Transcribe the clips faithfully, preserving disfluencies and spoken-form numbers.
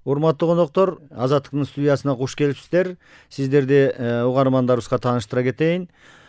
Урматтуу коноктор, Азаттыктын студиясына куш келипсиздер. Сиздерди угармандарыбызга тааныштыра кетейин.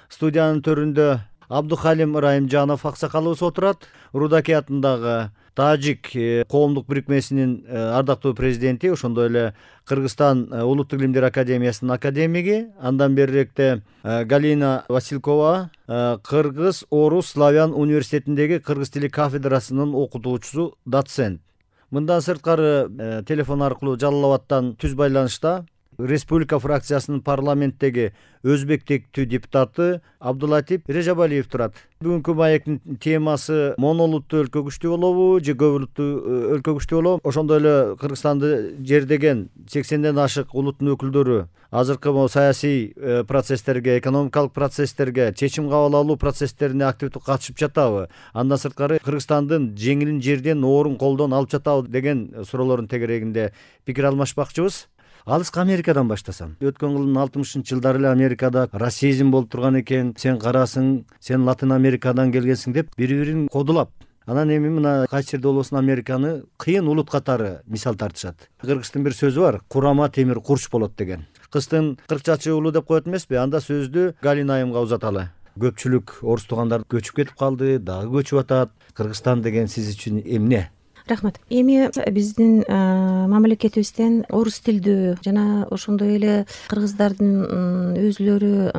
Студиянын төрүндө Абдухалим Ырайымжанов аксакалыбыз отурат. Рудаки атындагы Тажик коомдук бирикмесинин ардактуу президенти, ошондой эле Кыргызстан улуттук илимдер академиясынын академиги. Андан берирээкте Галина Василкова, Кыргыз Орус Славян университетиндеги кыргыз тили кафедрасынын окутуучусу, доцент. Мындан сырткары телефон аркылуу Жалал Абадтан түз байланышта Республика фракциясынын парламенттеги өзбек тектүү депутаты Абдулатип Режабалиев турат. Бүгүнкү маектин темасы монолуттуу өлкө күчтүү болобу же көп улуттуу өлкө күчтүү болобу? Ошондой эле Кыргызстанды жердеген сексенден ашык улуттун өкүлдөрү азыркы саясий процесстерге, экономикалык процесстерге, чечим кабыл алуу процесстерине активдүү катышып жатабы? Андан сырткары Кыргызстандын жеңилин жерден, оорун колдон алып жатабы деген суроолордун тегерегинде пикир алмашпакчыбыз. Алыска Америкадан баштасам. Өткөн кылдын алтымышынчы жылдары эле Америкада расизм болуп турган экен. Сен карасың, сен Латын Америкадан келгенсиң деп бири-бирин кодулап. Анан эми мына кайсы жерде болбосун Американы кыйын улут катары мисал тартышат. Кыргыздын бир сөзү бар: курама темир курч болот деген. Кыздын кыркчачы уулу деп коет эмеспи? Анда сөздү Галина айымга узаталы. Көпчүлүк орус туугандар көчүп кетип калды, дагы көчүп атат. Кыргызстан деген сиз үчүн эмне? Рахмат. Эми биздин мамлекетибизден орус тилдүү жана ошондой эле кыргыздардын өзүлөрү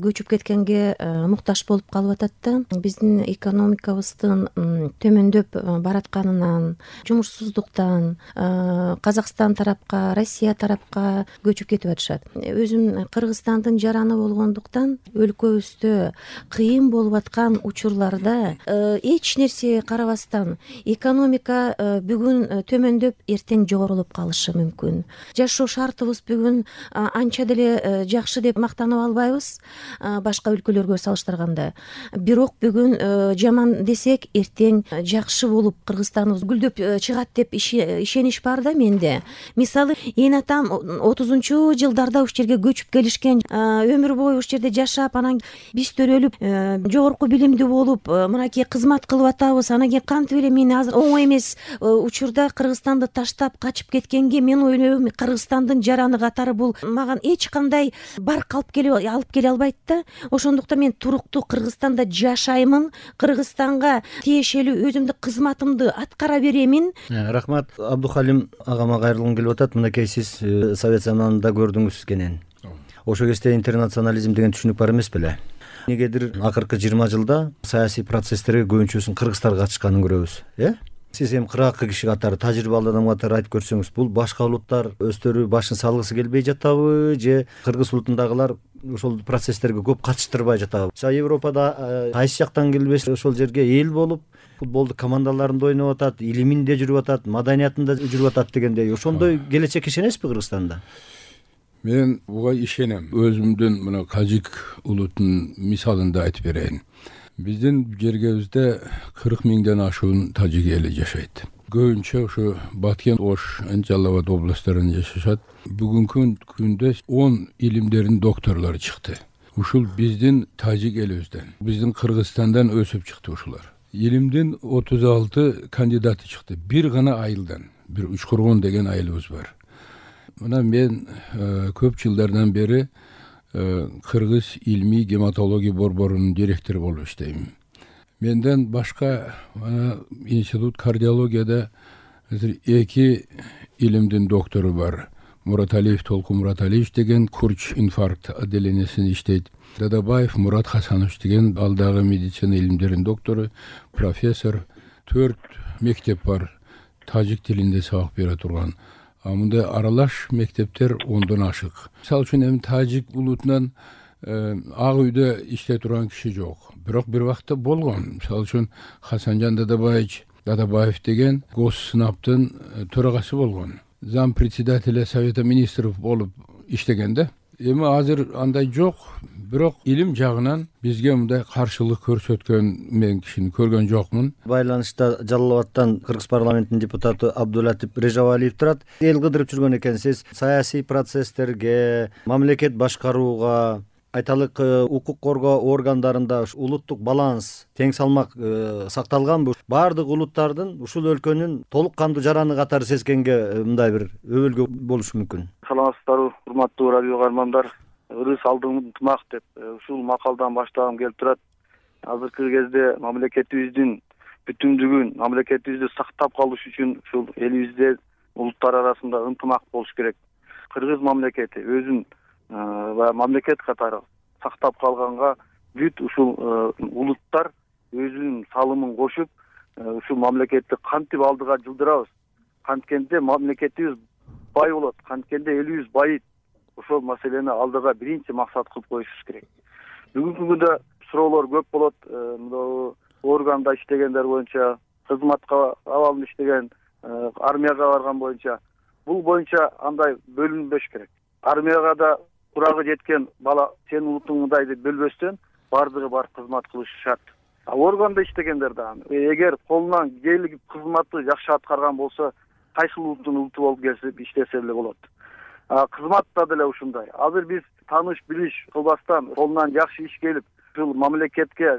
көчүп кеткенге муктаж болуп калып атат да. Биздин экономикабыздын төмөндөп баратканынан, жумушсуздуктан Казакстан тарапка, Россия тарапка көчүп кетип атышат. Өзүм Кыргызстандын жараны болгондуктан өлкөбүздө кыйын болуп аткан учурларда эч нерсеге карабастан экономика бүгүн төмөндөп, эртең жогорулуп калышы мүмкүн. Жашоо шартыбыз бүгүн анча деле жакшы деп мактанып албайбыз башка өлкөлөргө салыштырганда. Бирок бүгүн жаман десек, эртең жакшы болуп Кыргызстаныбыз гүлдөп чыгат деп ишенич бар да менде. Мисалы, эне атам отузунчу жылдарда уш жерге көчүп келишкен, өмүр бою уш жерде жашап, анан биз төрөлүп, жогорку билимдүү болуп, мынакей кызмат кылып атабыз. Анан кийин кантип эле мени азыр оңой эмес учурда Кыргызстанды таштап качып кеткенге мен ойлойм, Кыргызстандын жараны катары бул мага эч кандай барк алып келип алып келе албайт да. Ошондуктан мен туруктуу Кыргызстанда жашаймын, Кыргызстанга тиешелүү өзүмдүн кызматымды аткара беремин. Рахмат. Абдухалим агама кайрылгым келип атат. Мынакей сиз Совет заманында көрдүңүз кенен. Ошол кезде интернационализм деген түшүнүк бар эмес беле? Негедир акыркы жыйырма жылда саясий процесстерге көбүнчөсүн кыргыздар катышканын көрөбүз, э? Сиз эми кыргакы киши катары, тажрыйбалуу адам катары айтып көрсөңүз, бул башка улуттар өздөрү башын салгысы келбей жатабы, же кыргыз улутундагылар ошол процесстерге көп катыштырбай жатабы? Европада кайсы жактан келбес ошол жерге эл болуп, футболду командаларында ойноп атат, илиминде жүрүп атат, маданиятында жүрүп атат дегендей, ошондой келечек ишенесизби Кыргызстанда? Мен буга ишенем. Өзүмдүн мына Тажик улутунун мисалында айтып берейин. Биздин жергебизде кырк миңден ашуун тажик эли жашайт. Көбүнчө ушу Баткен, Ош, Жалал Абад областарында жашашат. Бүгүнкү күндө он илимдердин докторлору чыкты. Ушул биздин тажик элибизден, биздин Кыргызстандан өсүп чыкты ушулар. Илимдин отуз алты кандидаты чыкты. Бир гана айылдан, бир Учкургон деген айылыбыз бар. Мына мен көп жылдардан бери Кыргыз илмий гематология борборунун директору болуп иштейм. Менден башка институт кардиологияда эки илимдин доктору бар. Мураталиев Толкун Мураталиевич деген курч инфаркт отделениясында иштейт. Дадабаев Мурат Хасанович деген ал дагы медицина илимдеринин доктору, профессор. Төрт мектеп бар, тажик тилинде сабак бере турган. Мындай аралаш мектептер ондон ашык. Мисалы үчүн эми тажик улутунан ак үйдө иштей турган киши жок. Бирок бир убакта болгон. Мисалы үчүн Хасанжан Дадабаевич Дадабаев деген госсынаптын төрагасы болгон. Зам председателя Совета министров болуп иштегенде. Эми азыр андай жок. Бирок илим жагынан бизге мындай каршылык көрсөткөн мен кишини көргөн жокмун. Байланышта Жалал Абадтан Кыргыз парламентинин депутаты Абдулатип Режабалиев турат. Эл кыдырып жүргөн экенсиз. Саясий процесстерге, мамлекет башкарууга айталык укук коргоо органдарында улуттук баланс, тең салмак сакталганбы? Баардык улуттардын ушул өлкөнүн толук кандуу жараны катары сезгенге мындай бир өбөлгө болушу мүмкүн. Саламатсыздарбы, урматтуу радио каармандар. Ырыс алдың ынтымак деп ушул макалдан баштагым келип турат. Азыркы кезде мамлекетибиздин бүтүндүгүн, мамлекетибизди сактап калыш үчүн ушул элибизде улуттар арасында ынтымак болуш керек. Кыргыз мамлекети өзүн мамлекет катары сактап калганга бүт ушул улуттар өзүнүн салымын кошуп, ушул мамлекетти кантип алдыга жылдырабыз, канткенде мамлекетибиз бай болот, канткенде элибиз байыйт. Ошол маселени алдыга биринчи максат кылып коюшубуз керек. Бүгүнкү күндө суроолор көп болот. Органда иштегендер боюнча, кызматка абалын иштеген, армияга барган боюнча, бул боюнча андай бөлүнбөш керек. Армияга да курагы жеткен бала сенин улутуң мындай деп бөлбөстөн бардыгы барып кызмат кылышы шарт. А органда иштегендер да эгер колунан келип кызматты жакшы аткарган болсо, кайсыл улуттун улуту болуп келсе иштесе эле болот. Кызматта деле ушундай. Азыр биз тааныш билиш кылбастан колунан жакшы иш келип, ушул мамлекетке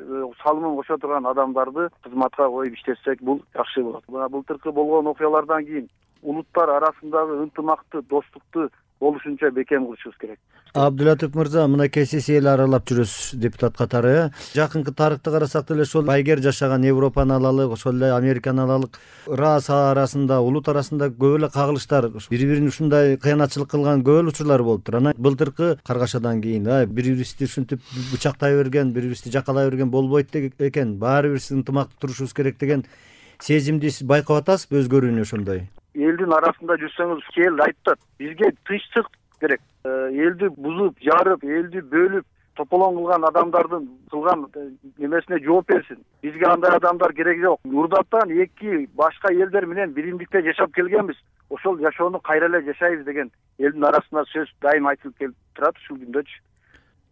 салымын кошо турган адамдарды кызматка коюп иштетсек, бул жакшы болот. Мына былтыркы болгон окуялардан кийин улуттар арасындагы ынтымакты, достукту болушунча бекем кылышыбыз керек. Абдулатип мырза, мынакей сиз эл аралап жүрөсүз депутат катары. Жакынкы тарыхты карасак деле ошол байгер жашаган Европаны алалык, ошол эле Американы алалык. Раса арасында, улут арасында көп эле кагылыштар, бири-бирин ушундай кыянатчылык кылган көп эле учурлар болуптур. Анан былтыркы каргашадан кийин бири-бирибизди ушинтип бычактай берген, бири-бирибизди жакалай берген болбойт экен. Баары бир ынтымактуу турушубуз керек деген сезимди сиз байкап атасызбы өзгөрүүнү ошондой? Элдин арасында жүрсөңүз, эл айтат, бизге тынчтык керек. Элди бузуп, жарып, элди бөлүп, тополоң кылган адамдардын кылган немесине жооп берсин. Бизге андай адамдар керек жок. Урдаттан эки башка элдер менен биримдикте жашап келгенбиз. Ошол жашоону кайра эле жашайбыз деген элдин арасында сөз дайым айтылып келип турат ушул күндөчү.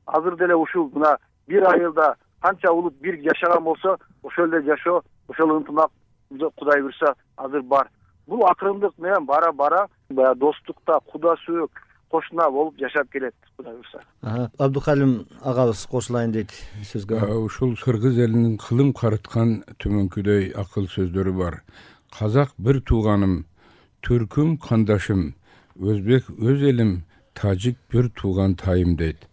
Азыр деле ушул мына бир айылда канча улут бир жашаган болсо, ошол эле жашоо, ошол ынтымак Кудай буйрса азыр бар. Бул акырындык менен бара-бара баягы достукта, куда сүйөк, кошуна болуп жашап келет, Кудай буйрса. Абдухалим агабыз кошулайын дейт сөзгө. Ушул кыргыз элинин кылым карыткан төмөнкүдөй акыл сөздөрү бар. Казак бир тууганым, түркүм кандашым, өзбек өз элим, тажик бир тууган тайым дейт.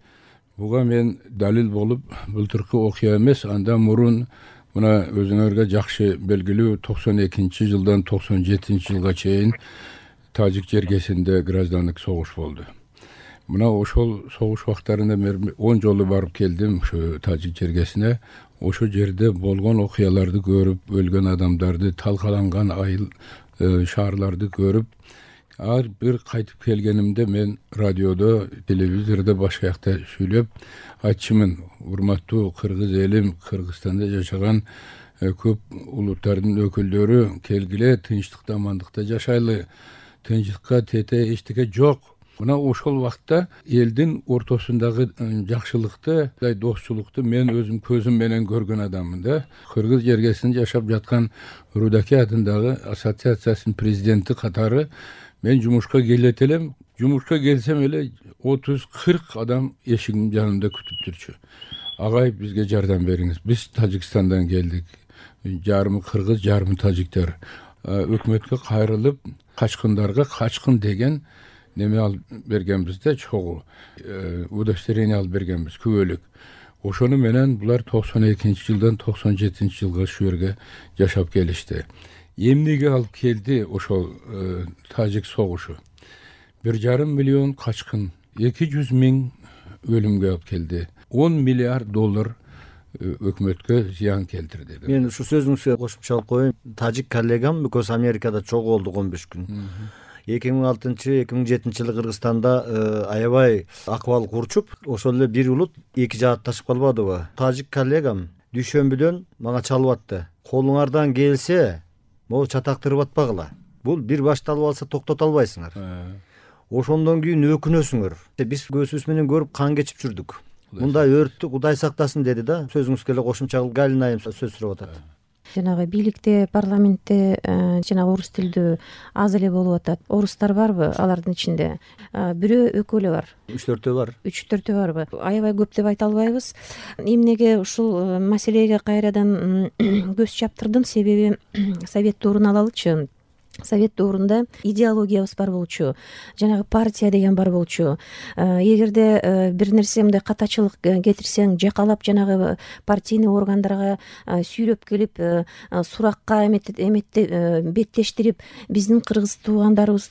Буга мен далил болуп, былтыркы окуя эмес, андан мурун мына өзүңөргө жакшы белгилүү токсон экинчи жылдан токсон жетинчи жылга чейин Тажик жергесинде граждандык согуш болду. Мына ошол согуш убактарында мен он жолу барып келдим ушу Тажик жергесине. Ошол жерде болгон окуяларды көрүп, өлгөн адамдарды, талкаланган айыл шаарларды көрүп, ар бир кайтып келгенимде мен радиодо, телевизордо башка жакта сүйлөп айтчумун: урматтуу кыргыз элим, Кыргызстанда жашаган көп улуттардын өкүлдөрү, келгиле тынчтыкта, амандыкта жашайлы. Тынчтыкка тете эчтеке жок. Мына ошол убакта элдин ортосундагы жакшылыкты, достчулукту мен өзүм көзүм менен көргөн адаммын да. Кыргыз жергесинде жашап жаткан Рудаки атындагы ассоциациясынын президенти катары мен жумушка келет элем. Жумушка келсем эле отуз кырк адам эшигимдин жанында күтүп турчу. Агай, бизге жардам бериңиз. Биз Тажикстандан келдик. Жарымы кыргыз, жарымы тажиктер. Өкмөткө кайрылып, качкындарга качкын деген неме алып бергенбиз да, чогуу удостоверение алып бергенбиз, күбөлүк. Ошону менен булар токсон экинчи жылдан токсон жетинчи жылга шу жерге жашап келишти. Эмнеге алып келди ошол тажик согушу? Бир жарым миллион качкын, эки жүз миң өлүмгө алып келди. он миллиард доллар өкмөткө зыян келтирди. Мен ушу сөзүңүзгө кошумча кылып коеюн. Тажик коллегам көз Америкада чогуу болдук он беш күн. эки миң алтынчы эки миң жетинчи жылы Кыргызстанда аябай акыбал курчуп, ошол эле бир улут эки жаатташып калбадыбы? Тажик коллегам дүйшөмбүдөн мага чалып атты. Колуңардан келсе, могу чатактырып атпагыла. Бул бир башталып алса токтото албайсыңар. Ошондон кийин өкүнөсүңөр. Биз көзүбүз менен көрүп кан кечип жүрдүк. Мындай өрттү Кудай сактасын деди да. Сөзүңүзгө эле кошумча кылып Галина айым сөз сурап атат. жанагы бийликте, парламентте жанагы орус тилдүү аз эле болуп атат. Орустар барбы алардын ичинде? Бирөө экөө эле бар. үч төртөө бар. үч төртөө барбы? Аябай көп деп айта албайбыз. Эмнеге ушул маселеге кайрадан көз чаптырдым? Себеби совет доорун алалычы. Совет доорунда идеологиябыз бар болчу, жанагы партия деген бар болчу. Эгерде бир нерсе мындай катачылык кетирсең, жакалап жанагы партийный органдарга сүйрөп келип, суракка эметте беттештирип, биздин кыргыз туугандарыбыз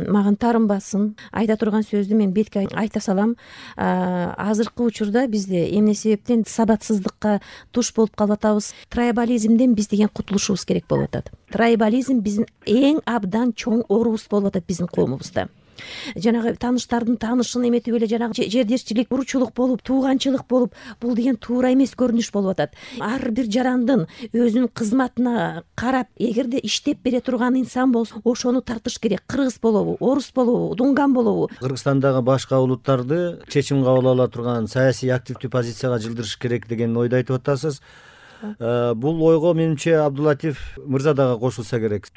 мага таарынбасын, айта турган сөздү мен бетке айта салам. Азыркы учурда бизде эмне себептен сабатсыздыкка туш болуп калып атабыз? Трайбализмден биз деген кутулушубуз керек болуп атат. Трайбализм биздин эң абдан чоң оорубуз болуп атат биздин коомубузда. Жанагы тааныштардын таанышын эметип эле жанагы жердешчилик, уручулук болуп, тууганчылык болуп, бул деген туура эмес көрүнүш болуп атат. Ар бир жарандын өзүнүн кызматына карап, эгерде иштеп бере турган инсан болсо, ошону тартыш керек. Кыргыз болобу, орус болобу, дунган болобу. Кыргызстандагы башка улуттарды чечим кабыл ала турган саясий активдүү позицияга жылдырыш керек деген ойду айтып атасыз. Бул ойго менимче Абдулатиф мырза дагы кошулса керек.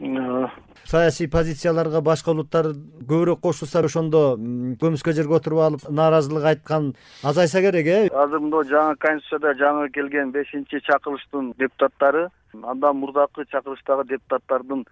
Саясий позицияларга башка улуттар көбүрөөк кошулса, ошондо көмүскө жерге отуруп алып нааразылык айткан азайса керек, э? Азыр мында жаңы конституцияда жаңы келген бешинчи чакырылыштын депутаттары, андан мурдакы чакырылыштагы депутаттардын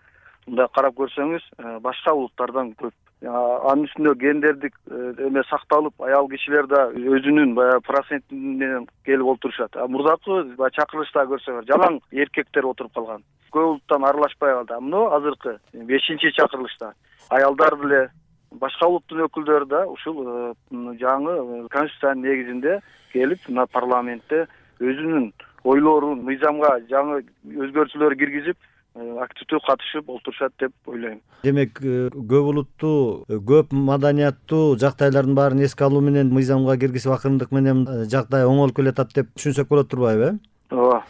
мындай карап көрсөңүз, башка улуттардан көп. Анын үстүнө гендердик эме сакталып, аял кишилер да өзүнүн баягы проценти менен келип отурушат. Мурдакы чакырылышта көрсөңөр, жалаң эркектер отуруп калган. Көп улуттан аралашпай калды. Мына азыркы бешинчи чакырылышта аялдар деле, башка улуттун өкүлдөрү да ушул жаңы конституциянын негизинде келип, мына парламентте өзүнүн ойлорун, мыйзамга жаңы өзгөртүүлөр киргизип, активдүү катышып отурушат деп ойлойм. Демек, көп улуттуу, көп маданияттуу жактайлардын баарын эске алуу менен мыйзамга киргизип акырындык менен жагдай оңолуп келатат деп түшүнсөк болот турбайбы, э? Ооба.